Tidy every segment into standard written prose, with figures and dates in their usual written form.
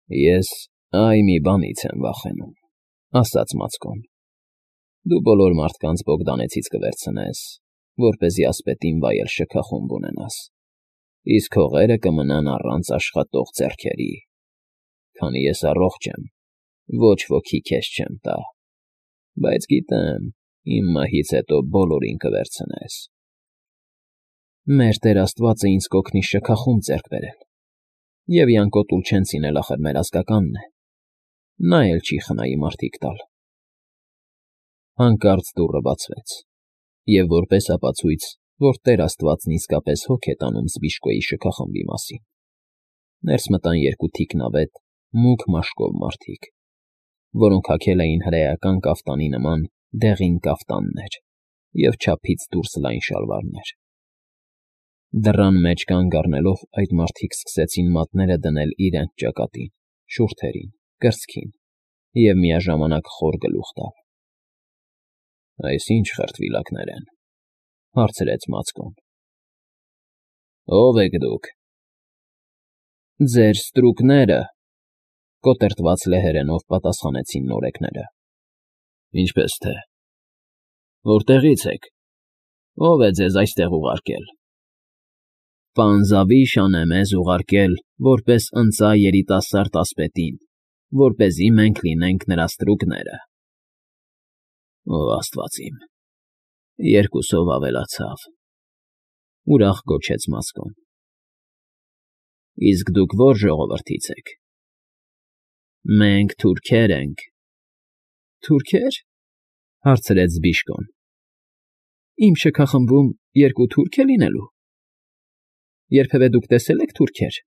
Ես այ մի բանից եմ վախենում, ասաց Մացկոն. դու բոլոր մարդկանց Բոգդանեցից կվերցնես, որպեսզի ասպետին վայել շքախումբ ունենաս, իսկ հողերը կմնան առանց աշխատող ձեռքերի, քանի ես առողջ եմ, ոչ ոքի քեզ չեմ տա, բայց գիտեմ, իմ մահից հետո բոլորին կվերցնես։ Մեր Տեր Աստվածը ինձ կօգնի շքախումբ ձեռք բերել, և Յանկոտ Ուլչենցին էլ ախր մեր ազգականն է, նա էլ չի խնայի մարդիկ տալ։ Հանկարծ դուռը բացվեց, և որպես ապացույց, որ Տեր Աստվածն իսկապես հոգ է տանում Զբիշկոյի շքախմբի մասին, ներս մտան երկու թիկնավետ, մուգ մաշկով մարդիկ, որոնք հագել էին հրեական կաֆտանի նման դեղին կաֆտաններ և չափից դուրս լայն շալվարներ։ Դռան մեջ կանգ առնելով այդ մարդիկ սկսեցին մատները դնել իրենց ճակատին, շուրթերին, կրծքին և միաժամանակ խոր գլուխ տալ։ «Այս ի՞նչ խրտվիլակներ են,֊ հարցրեց Մացկոն։ Ո՞վ եք դուք։ Ձեր ստրուկները,֊ կոտրտված լեհերենով պատասխանեցին նորեկները։ Ինչպես թե։ Որտեղից եք։ Ո՞վ է ձեզ այստեղ ուղարկել։ Պան Զավիշան է մեզ ուղարկել որպես ընծա երիտասարդ ասպետին, որպեսզի մենք լինենք նրա ստրուկները։ Ո Աստված իմ, երկուսով ավելացավ,֊ ուրախ գոչեց Մացկոն։ Իսկ դուք ո՞ր ժողովրդից եք։ Մենք թուրքեր ենք։ Թուրքե՞ր,֊ հարցրեց Զբիշկոն։ Իմ շքախմբում երկու թուրք է լինելու։ Երբևէ դուք տեսե՞լ եք թուրքեր։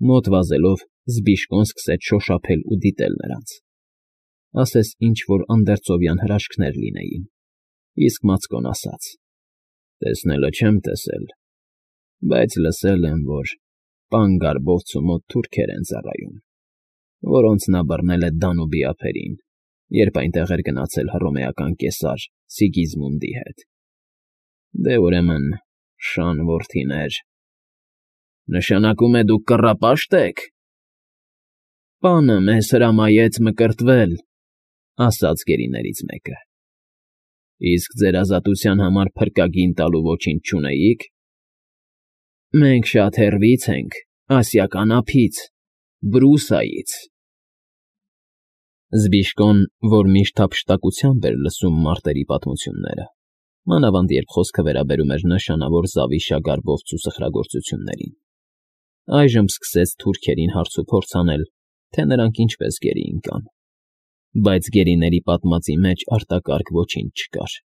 Մոտ վազելով Զբիշկոն սկսեց շոշափել ու դիտել նրանց, ասես ինչ֊որ անդերձովյան հրաշքներ լինեին, իսկ Մացկոն ասաց. Տեսնելը չեմ տեսել, բայց լսել եմ, որ պան Գարբովցու մոտ թուրքեր են ծառայում, որոնց նա բռնել է Դանուբի ափերին, երբ այնտեղ էր գնացել հռոմեական կեսար Սիգիզմունդի հետ։ Դե ուրեմն, շան որդիներ, նշանակում է դուք կռապաշտ եք։ Պանը մեզ հրամայեց մկրտվել, ասաց գերիներից մեկը։ Իսկ ձեր ազատության համար փրկագին տալու ոչինչ չունեիք։ Մենք շատ հեռվից ենք, ասիական ափից, Բրուսայից։ Զբիշկոն, որ միշտ հափշտակությամբ էր լսում մարտերի պատմությունները, մանավանդ երբ խոսքը վերաբերում էր նշանավոր Զավիշա-Գարբովցու սխրագործություններին, այժմ սկսեց թուրքերին հարցուփորձ անել, թե նրանք ինչպես գերի ընկան, բայց գերիների պատմածի մեջ արտակարգ ոչինչ չկար։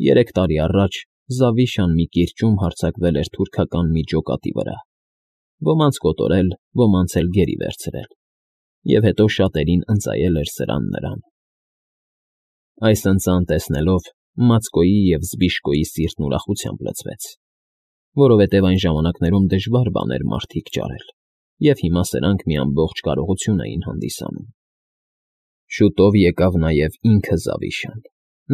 3 տարի առաջ Զավիշան մի կիրճում հարձակվել էր թուրքական մի ջոկատի վրա, ոմանց կոտորել, ոմանց էլ գերի վերցրել, և հետո շատերին ընծայել էր սրան նրան։ Այս ընծան տեսնելով Մացկոյի և Զբիշկոյի սիրտն ուրախությամբ լցվեց, որովհետև այն ժամանակներում դժվար բան էր մարդիկ ճարել, և հիմա սրանք մի ամբողջ կարողություն էին հանդիսանում։ Շուտով եկավ նաև ինքը Զավիշան,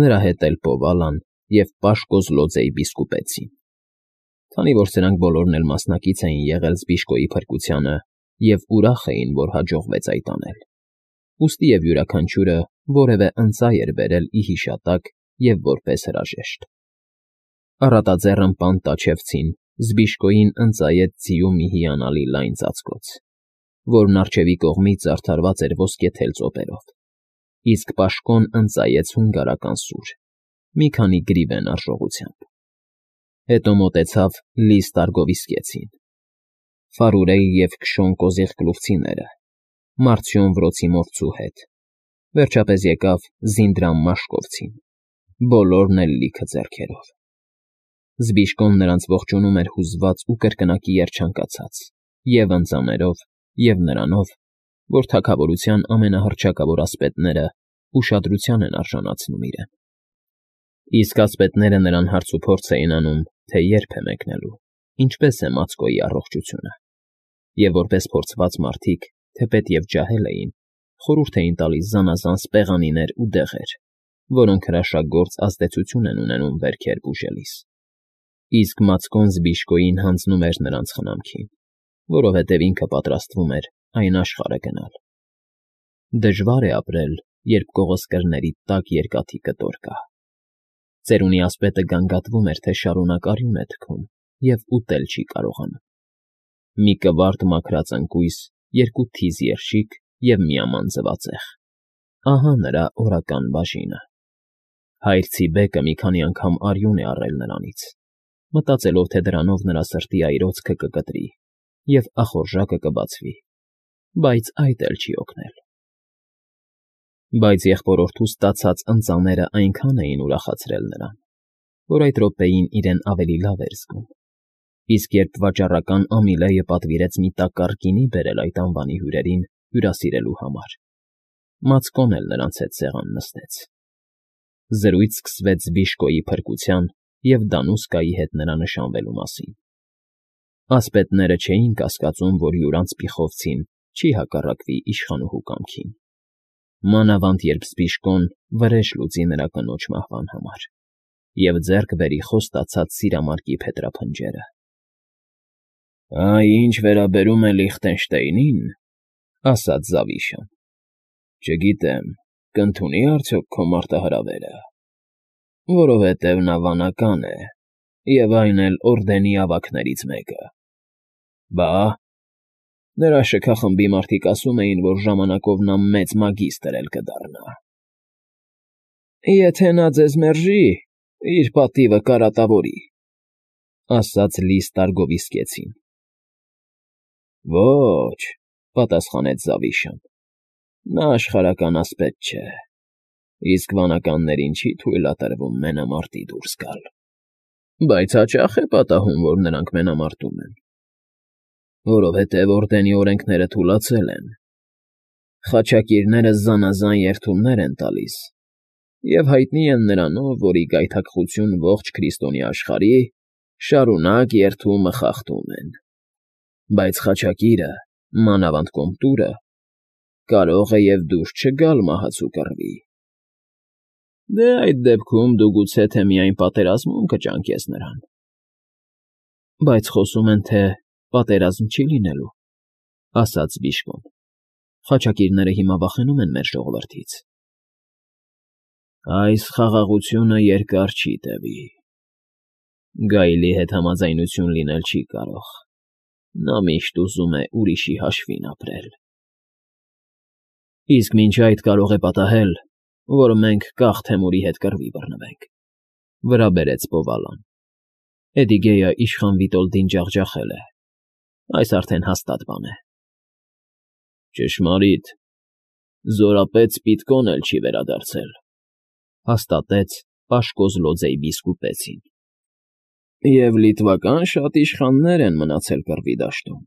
նրա հետ էլ Պովալան և Պաշկոզլոձեի բիսկուպեցին։ Քանի որ սրանք բոլորն էլ մասնակից էին եղել Զբիշկոյի փրկությանը և ուրախ էին, որ հաջողվեց այդ անել, ուստիև յուրաքանչյուրը որևէ ընծա էր բերել ի հիշատակ և որպես հրաժեշտ։ Առատաձեռն պան Տաչևցին Զբիշկոյին ընծայեց ձիու մի հիանալի լայն ծածկոց, որն առջևի կողմից զարդարված էր ոսկեթել ծոպերով, իսկ Պաշկոն ընծայեց հունգարական սուր, մի քանի գրիվեն արժողությամբ։ Հետո մոտեցավ Լիս Տարգովիսկեցին, Ֆարուրեի և Քշոն կոզիղկլուֆցիները, Մարտյոն Վրոցիմովցու հետ, վերջապես եկավ Զինդրամ Մաշկովցին, բոլորն էլ լիքը ձեռքերով։ Զբիշկոն նրանց ողջունում էր հուզված ու կրկնակի երջանկացած, և ընծաներով, և նրանով, որ թագավորության ամենահռչակավոր ասպետները ուշադրության են արժանացնում իրեն։ Իսկ ասպետները նրան հարցուփորձ էին անում, թե երբ է մեկնելու, ինչպես է Մացկոյի առողջությունը, և որպես փորձված մարդիկ, թեպետև ջահել էին, խորհուրդ էին տալիս զանազան սպեղանիներ ու դեղեր, որոնք հրաշագործ ազդեցություն են ունենում վերքեր բուժելիս։ Իսկ Մացկոն Զբիշկոյին հանձնում էր նրանց խնամքին, որովհետև ինքը պատրաստվում էր այն աշխարհը գնալ։ Դժվար է ապրել, երբ կողոսկրների տակ երկաթի կտոր կա։ Ծերունի ասպետը գանգատվում էր, թե շարունակ արյուն է թքում և ուտել չի կարողանում։ Մի կվարդ մաքրած ընկույզ, երկու թիզ երշիկ և միաման ձվածեղ։ Ահա նրա օրական բաժինը։ Հայրցի բեկը մի քանի անգամ արյուն է առել նրանից, մտածելով, թե դրանով նրա սրտի այրոցքը կկտրի և ախորժակը կբացվի, բայց այդ էլ չի օգնել։ Բայց եղբորորդու ստացած ընծաները այնքան էին ուրախացրել նրան, որ այդ րոպեին իրեն ավելի լավ էր զգում, իսկ երբ վաճառական Ամիլեը պատվիրեց մի տակառ գինի բերել այդ անվանի հյուրերին հյուրասիրելու համար, Մացկոն էլ նրանց հետ սեղան նստեց։ Զրույց սկսվեց Բիշկոյի փրկության և Դանուսկայի հետ նրա նշանվելու մասին։ Ասպետները չէին կասկածում, որ յուրանց պիխովցին չի հակառակվի իշխանուհու կամքին, մանավանդ երբ Բիշկոն վրեժ լուծի նրա կնոջ մահվան համար և ձեռք բերի խոստացած սիրամարգի փետրափնջերը։ «Այ ինչ վերաբերում է Լիխտենշտեյնին,֊ ասաց Զավիշան,֊ չգիտեմ, կընդունի՞ արդյոք քո մարտահրավերը, որովհետև նա վանական է, և այն էլ օրդենի ավագներից մեկը։ Բա՞, նրա շքախմբի մարդիկ ասում էին, որ ժամանակով նա մեծ մագիստր էլ կդառնա»։ «Եթե նա ձեզ մերժի, իր պատիվը կարատավորի»,֊ ասաց Լի Ստարգովիսկեցին։ «Ոչ,֊ պատասխանեց Զավիշան,֊ նա աշխարհական ասպետ չէ, իսկ վանականներին չի թույլատրվում մենամարտի դուրս գալ։ Բայց հաճա՞խ է պատահում, որ նրանք մենամարտում են։ Որովհետև օրդենի օրենքները թուլացել են։ Խաչակիրները զանազան երդումներ են տալիս և հայտնի են նրանով, որ ի գայթակղություն ողջ քրիստոնյա աշխարհի շարունակ երդումը խախտում են։ Բայց խաչակիրը, մանավանդ կոմտուրը, կարող է և դուրս չգալ մահացու կռվի։ Դե այդ դեպքում դու գուցե թե միայն պատերազմում կճանկես նրան։ Բայց խոսում են, թե պատերազմ չի լինելու,֊ ասաց Բիշկոն։ Խաչակիրները հիմա վախենում են մեր ժողովրդից։ Այս խաղաղությունը երկար չի տևի։ Գայլի հետ համաձայնություն լինել չի կարող։ Նա միշտ ուզում է ուրիշի հաշվին ապրել։ Իսկ մինչ այդ կարող է պատահել, որ մենք կախ Թեմուրի հետ կռվի բռնվենք,֊ վրա բերեց Բովալան։ Էդիգեյը իշխան Վիտոլդին ջախջախել է։ Այս արդեն հաստատ բան է։ Ճշմարիտ, զորապետ Սպիտկոն էլ չի վերադարձել,֊ հաստատեց Պաշկոզլոձեի բիսկուպեցին։ Եվ լիտվական շատ իշխաններ են մնացել կռվի դաշտում։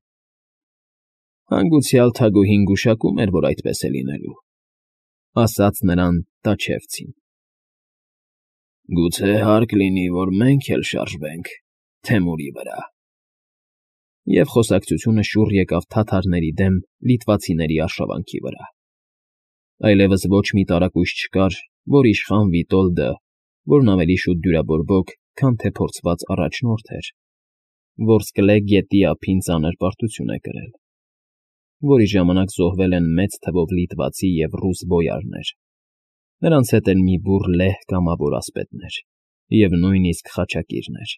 Հանգուցյալ Թագուհին գուշակում էր, որ այդպես է լինելու,֊ ասաց նրան Տաչևցին։ Գուցե հարկ լինի, որ մենք էլ շարժվենք Թեմուրի վրա։ Եվ խոսակցությունը շուռ եկավ թաթարների դեմ լիտվացիների արշավանքի վրա։ Այլևս ոչ մի տարակույս չկար, որ իշխան Վիտոլդը, որն ավելի շուտ դյուրաբորբոք, քան թե փորձված առաջնորդ էր, Որսկլե գետի ափին ծանր պարտություն է կրել, որի ժամանակ զոհվել են մեծ թվով լիտվացի և ռուս բոյարներ, նրանց հետ էլ մի բուռ լեհ կամավոր ասպետներ և նույնիսկ խաչակիրներ։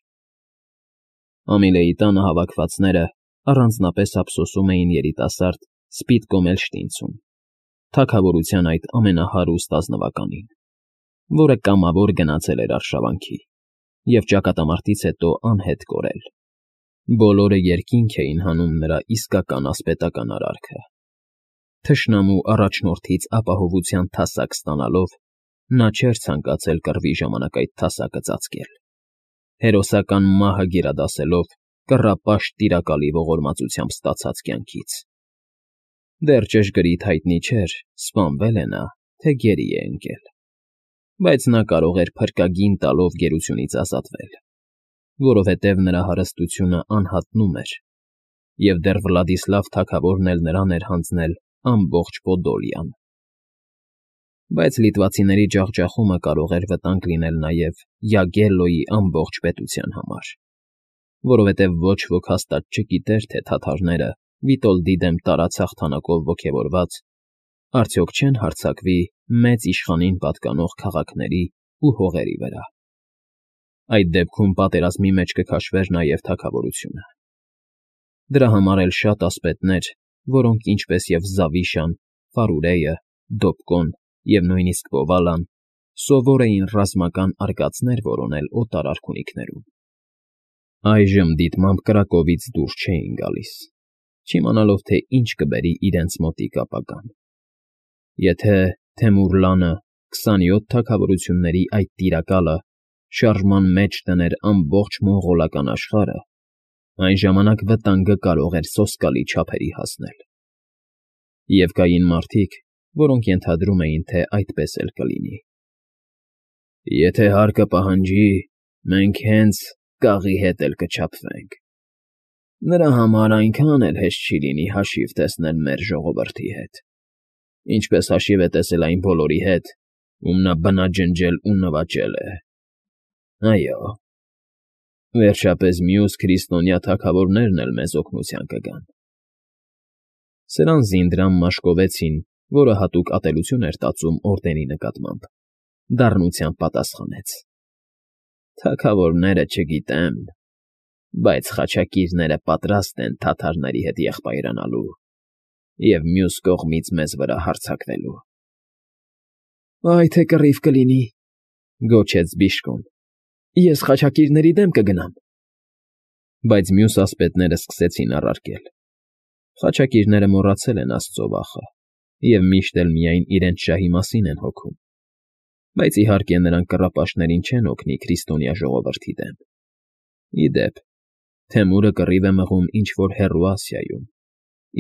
Ամիլեի տանը հավաքվածները առանձնապես ափսոսում էին երիտասարդ Սպիտկոմելշտինցուն, թագավորության այդ ամենահարուստ ազնվականին, որը կամավոր գնացել էր արշավանքի և ճակատամարտից հետո անհետ կորել։ Բոլորը երկինք էին հանում նրա իսկական ասպետական արարքը։ Թշնամու առաջնորդից ապահովության թասակ ստանալով՝ նա չէր ցանկացել կռվի ժամանակ այդ թասակը ծածկել։ Հերոսական մահը գերադասելով կռապաշտ տիրակալի ողորմածությամբ ստացած կյանքից։ Դեռ ճշգրիտ հայտնի չէր, սպանվել է նա, թե գերի է ընկել, բայց նա կարող էր փրկագին տալով գերությունից ազատվել, որովհետև նրա հարստությունը անհատնում էր, և դեռ Վլադիսլավ թագավորն էլ նրան էր հանձնել ամբողջ Պոդոլիան։ Բայց լիտվացիների ջախջախումը կարող էր վտանգ լինել նաև Յագելլոյի ամբողջ պետության համար, որովհետև ոչ ոք հաստատ չգիտեր, թե թաթարները Վիտոլդի դեմ տարած հաղթանակով ոգևորված, արդյոք չեն հարձակվի մեծ իշխանին պատկանող քաղաքների ու հողերի վրա։ Այդ դեպքում պատերազմի մեջ կքաշվեր նաև թագավորությունը։ Դրա համար էլ շատ ասպետներ, որոնք ինչպես և Զավիշան, Ֆարուրեյը, Դոպկոն և նույնիսկ Բովալան, սովոր էին ռազմական արկածներ որոնել օտար արքունիքներում։ Այժմ դիտմամբ Կրակովից դուրս չէին գալիս, չիմանալով, թե ինչ կբերի իրենց մոտիկ ապագան։ Եթե Թեմուրլանը 27 թագավորությունների այդ տիրակալը շարժման մեջ դներ ամբողջ մոնղոլական աշխարհը, այն ժամանակ վտանգը կարող էր սոսկալի չափերի հասնել։ Եվ կային մարդիկ, որոնք ենթադրում էին, թե այդպես էլ կլինի։ Եթե հարկը պահանջի, մենք հենց կաղի հետ էլ կչափվենք։ Նրա համար այնքան էլ հեշտ չի լինի հաշիվ տեսնել մեր ժողովրդի հետ, ինչպես հաշիվ է տեսել այն բոլորի հետ, ում նա բնաջնջել ու նվաճել է։ Այո, վերջապես մյուս քրիստոնյա թագավորներն էլ մեզ օգնության կգան։ Սրան Զինդրան մաշկովեցին, որը հատուկ ատելություն էր տածում օրդենի նկատմամբ, դառնությամբ պատասխանեց. Թագավորները չգիտեմ, բայց խաչակիրները պատրաստ են թաթարների հետ եղբայրանալու և մյուս կողմից մեզ վրա հարձակվելու։ Այ թե կռիվ կլինի, գոչեց Բիշկոն, ես խաչակիրների դեմ կգնամ։ Բայց մյուս ասպետները սկսեցին առարկել. խաչակիրները մոռացել են աստծո վախը և միշտ էլ միայն իրենց շահի մասին են հոգում, բայց իհարկե նրանք կռապաշտներին չեն օգնի քրիստոնյա ժողովրդի դեմ։ Ի դեպ, Թեմուրը կռիվ է մղում ինչ֊որ հեռու Ասիայում,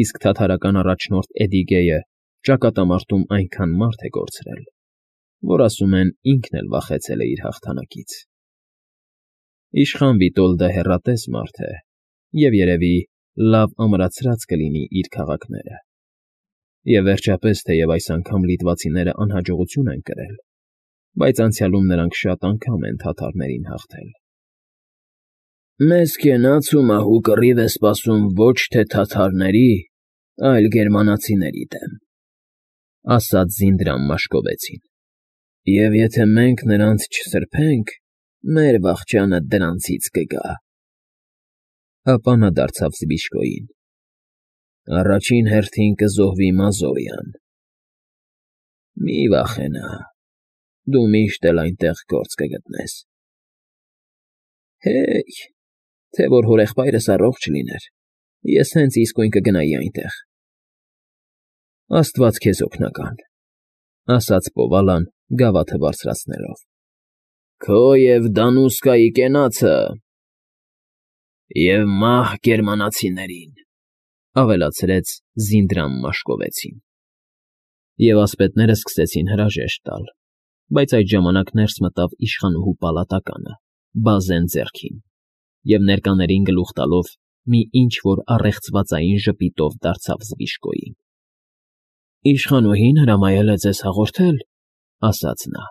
իսկ թաթարական առաջնորդ Էդիգեյը ճակատամարտում այնքան մարդ է կորցրել, որ ասում են ինքն էլ վախեցել է իր հաղթանակից։ Իշխան Վիտոլդը հեռատես մարդ է և երևի լավ ամրացրած կլինի իր քաղաքները։ Եվ վերջապես, թեև այս անգամ լիտվացիները անհաջողություն են կրել, բայց անցյալում նրանք շատ անգամ են թաթարներին հաղթել։ Մեզ կենաց ու մահու կռիվ է սպասում ոչ թե թաթարների, այլ գերմանացիների դեմ, ասաց Զինդրան Մաշկովեցին։ Եվ եթե մենք նրանց չսրբենք, մեր վախճանը դրանցից կգա։ Ապա նա դարձավ Զբիշկոյին. Առաջին հերթին կզոհվի Մազորյան։ Մի վախենա, դու միշտ էլ այնտեղ գործ կգտնես։ Հեյ, թե որ հորեղբայրս առողջ լիներ, ես հենց իսկույն կգնայի այնտեղ։ Աստված քեզ օգնական, ասաց Բովալան, գավաթը բարձրացնելով։ Քո և Դանուսկայի կենացը և մահ գերմանացիներին, ավելացրեց Զինդրան Մաշկովեցին։ Եվ ասպետները սկսեցին հրաժեշտ տալ, բայց այդ ժամանակ ներս մտավ իշխանուհու պալատականը, բազեն ձեռքին, և ներկաներին գլուխ տալով մի ինչ֊որ առեղծվածային ժպիտով դարձավ Զբիշկոյին։ Իշխանուհին հրամայել է ձեզ հաղորդել, ասաց նա,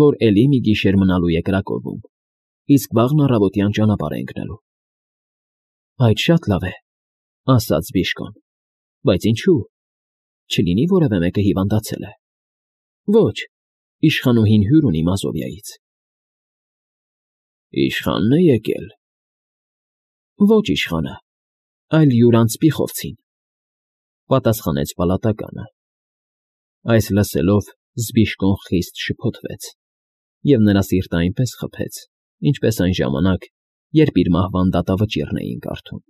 որ էլի մի գիշեր մնալու է Կրակովում, իսկ վաղն առավոտյան ճանապարհ է ընկնելու։ Այդ շատ լավ է, ասաց Բիշկոն, բայց ինչու՞, չլինի որևէ մեկը հիվանդացել է։ Ոչ, իշխանուհին հյուր ունի Մազովիայից։ Իշխանն է եկել։ Ոչ իշխանը, այլ յուրանց Պիխովցին, պատասխանեց պալատականը։ Այս լսելով Զբիշկոն խիստ շփոթվեց, և նրա սիրտը այնպես խփեց, ինչպես այն ժամանակ, երբ իր մահվան դատավճիռն էին կարդում։